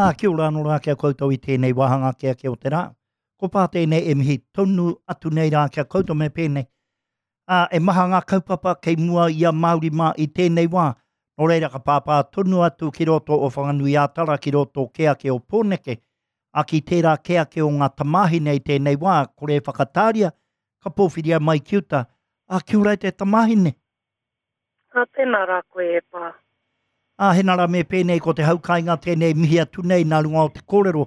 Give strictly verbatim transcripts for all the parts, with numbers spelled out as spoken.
Ā, kia ora anō rā ki a koutou i tēnei wāhanga ake ake o te rā. Ko pā tēnei e mihi tonu atu nei rā ki a koutou me pēnei. Ā, e maha ngā kaupapa kei mua i a Māori mā i tēnei wā. Nō reira ka pāpā tonu atu ki roto o Whanganui-ā-Tara, ki roto kē ake o Pōneke, ā, ki tērā kē ake o ngā tamāhine i tēnei wā, kore e whakatāria, ka pōwhiria mai ki uta. Ā, kia ora e te tamāhine. Ā, tēnā rā koe e pā. Ā, hena rā me pēnei ko te hau kāinga tēnei mihi atu nei nā runga o te kōrero.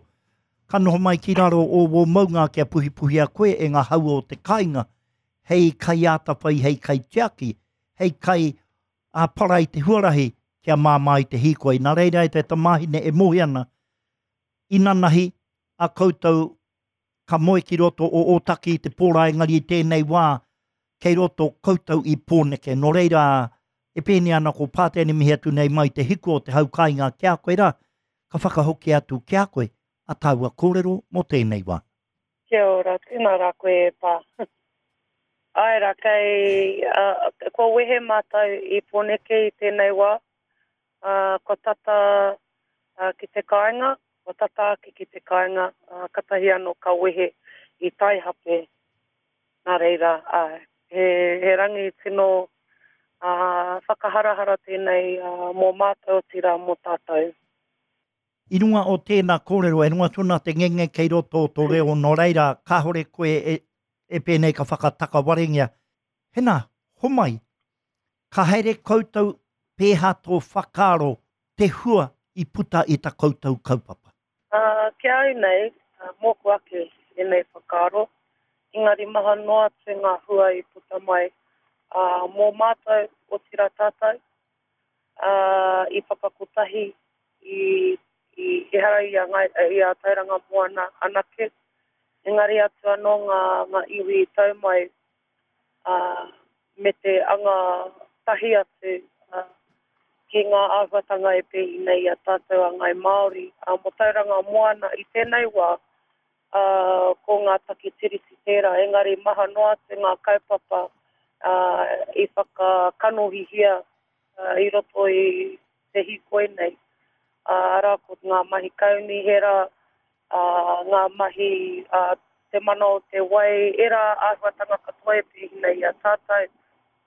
Ka noho mai ki raro o wō maunga kia puhipuhia koe e ngā hau o te kāinga, hei kaiātawhai, hei kaitiaki, hei kai ā para i te huarahi kia māmā i te hīkoi. Nā reira e te tamāhine e moe ana, inanahi a koutou ka moe ki roto o Ōtaki i te pō rā, engari i tēnei wā kei roto koutou i Pōneke. Nō reira, e pēnei ana ko Pātene mihi atu nei mai te hiku o te hau kāinga ki a koe rā, ka whakahoki atu ki a koe a tāua kōrero mō tēnei wā. Kia ora, tēnā rā koe e pā. Āe rā, kei, uh, kua wehe mātou i Pōneke i tēnei wā, uh, kua tata uh, ki te kāinga, kua tata ake ki te kāinga, uh, katahi anō ka wehe i Taihape. Nā reira, āe, he, he rangi tino uh, whakaharahara tēnei uh, mō mātou, otirā mō tātou. I runga o tēnā kōrero, e runga tonu te ngenge kei roto o tō reo, nō reira, kāhore koe e, e pēnei ka whakatakawarengia. Hena, homai, ka haere koutou pēhā tō whakaaro te hua i puta i ta koutou kaupapa? Uh, ki au nei, uh, mōku ake ēnei whakaaro, engari maha noa atu ngā hua i puta mai uh, mō mātou, otirā tātou, uh, i whakakotahi i, i ehara i a, Ngai, i a Tauranga Moana anake, engari atu anō ngā, ngā iwi i tau mai uh, me te anga tahi atu uh, ki ngā āhuatanga e pēhi nei i a tātou a Ngai Māori. Uh, mō Tauranga Moana i tēnei wā, uh, ko ngā take tiriti tērā, engari maha noa atu ngā kaupapa uh, i whakakanohihia uh, i roto i te hīkoi nei. Uh, arā ko ngā mahi kaunihera, uh, ngā mahi uh, te mana o te wai, ērā āhuatanga katoa e pēhi nei i a tātou.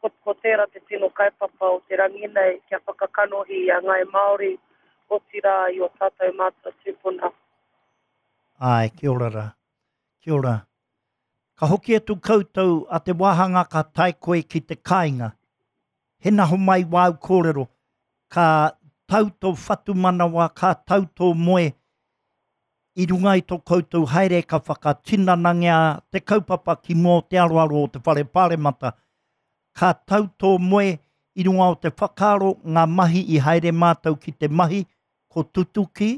Ko, ko tērā te tino kaupapa o te rangi nei kia whakakanohi i a Ngai Māori, otirā i o tātou mātua tūpuna. Āe, kia ora rā. Kia ora. Ka hoki atu koutou a te wāhanga ka tae koe ki te kāinga. Hena homai wāu kōrero, ka tau tō whatumanawa, ka tau tō moe, i runga i tō koutou haere ka whakatinanangia te kaupapa ki mua o te aroaro o te whare pāremata. Ka tau tō moe i runga o te whakaaro ngā mahi i haere mātou ki te mahi, ko tutuki?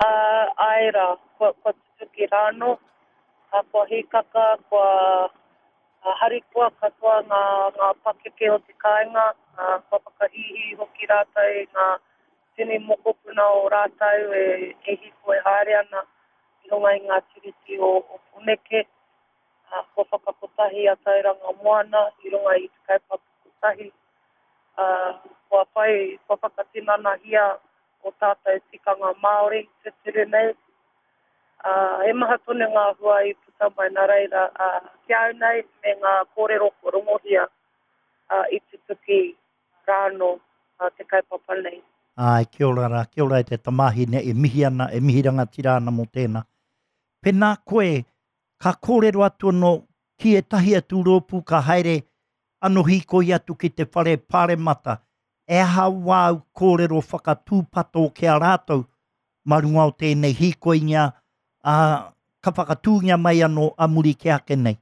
Uh, āe rā, kua, kua tutuki rānō, uh, kua hīkaka, kua uh, harikoa katoa ngā, ngā pakeke o te kāinga, uh, kua whakahīhī hoki rātou i ngā tini mokopuna o rātou e, e hīkoi haere ana i runga i ngā tiriti o, o Pōneke. Uh, kua whakakotahi a Tauranga Moana i runga i te kaupapa kotahi. Uh, kua whai, kua whakatinanahia o tātou tikanga Māori tūturu nei. Uh, he maha tonu ngā hua i puta mai nā reira, uh, ki au nei me ngā kōrero kua rongohia uh, i tutuki rānō uh, te kaupapa nei. Āe, kia ora rā, kia ora e te tamāhine e mihi ana, e mihi rangatira ana mō tēnā. Pēnā koe, ka kōrero atu anō ki ētahi atu rōpū ka haere anō hīkoi atu ki te whare pāremata, e aha wāu kōrero whakatūpato ki a rātou mā runga o tēnei hīkoingia, ā, ka whakatūngia mai anō a muri ki ake nei?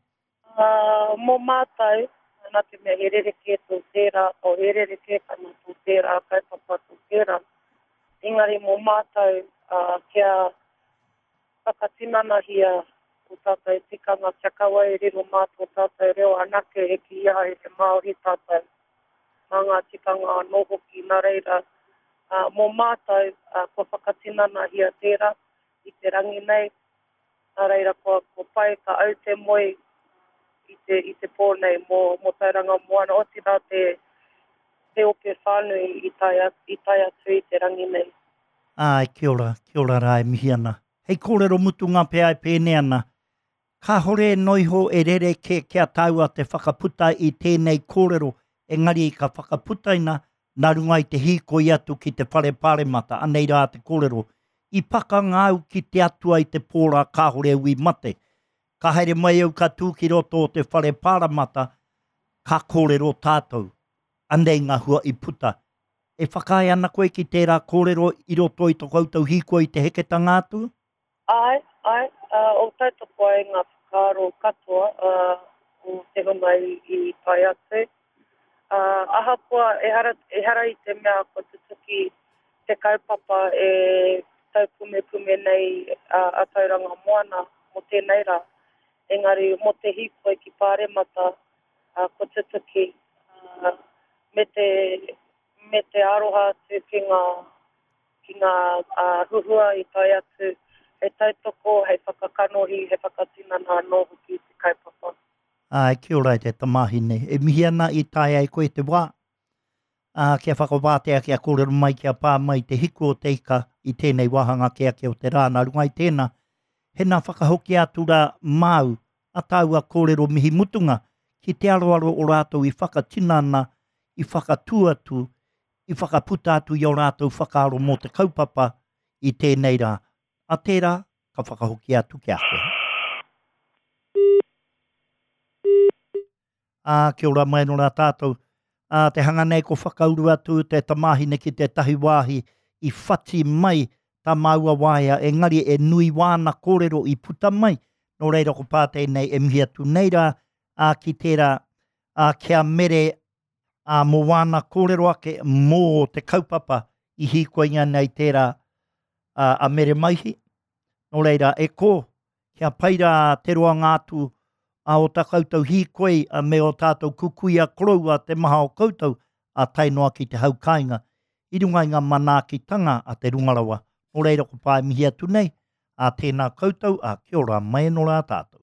Uh, mō mātou, nā te mea he rerekē tō tērā, o he rerekētanga tō tērā, kaupapa tō tērā. Engari mō mātou, uh, kia whakatinanahia o tātou tikanga, kia kaua e riro mā tō tātou reo anake e kīia ai he Māori tātou, mā ngā tikanga anō hoki. Nā reira, uh, mō mātou, uh, kua whakatinanahia tērā i te rangi nei, nā reira kua, kua pai ka au te moe i te, i te pō nei mō, mō Tauranga Moana, otirā te, te ope whānui i tae, i tae atu i te rangi nei. Āe, kia ora, kia ora rā e mihi ana. Hei kōrero mutunga pea e pēnei ana, kāhore noa iho e rerekē ki a tāua te whakaputa i tēnei kōrero, engari ka whakaputaina nā runga i te hīkoi atu ki te whare pāremata, anei rā te kōrero, i pakanga au ki te Atua i te pō rā kāhore au i mate. Ka haere mai au ka tū ki roto o te whare pāremata, ka kōrero tātou. Anei ngā hua i puta. E whakaae ana koe ki tērā kōrero i roto i to koutou hīkoi i te heketanga atu? Āe, āe, o tautoko ai ngā whakaaro katoa o te hunga i tae atu. Ahakoa ehara, ehara i te mea kua tutuki te kaupapa e taupumepume nei a Tauranga Moana mō tēnei rā, engari mō te hīkoi ki Pāremata kua tutuki me te, me te aroha atu ki ngā, ki ngā huhua i tae atu hei tautoko, hei whakakanohi, hei whakatinana anō hoki i te kaupapa. Āe, kia ora e te tamāhine. E mihi ana i tae ai koe te wā, ā, kia whakawātea, kia kōrero mai, kia pā mai te hiku o te ika i tēnei wāhanga ake ake o te rā. Nā runga i tēnā, hena whakahokia atu rā māu a tāua kōrero mihi mutunga ki te aroaro o rātou i whakatinana, i whakatū atu, i whakaputa atu i ō rātou whakaaro mō te kaupapa i tēnei rā. A tērā, ka whakahokia atu ki a koe. Ā, kia ora mai anō rā tātou. Ā, te hanga nei ko whakauru atu te tamāhine ki tētahi wāhi i whati mai tā māua waea, engari e nui wāna kōrero i puta mai, nō reira ko pā tēnei e mihi atu nei rā, ā, ki tērā, ā, kia mere, ā, mō wāna kōrero ake mō te kaupapa i hīkoinga nei tērā, ā, a Mere Maihi. Nō reira, e kō, kia pai rā te roanga atu a o tā koutou hīkoi a me o tātou kukuia koroua te maha o koutou a tae noa ki te hau kāinga i runga i ngā manaakitanga a te runga rawa. Nō reira ko pā e mihi atu nei, a tēnā koutou, a kia ora mai anō rā tātou.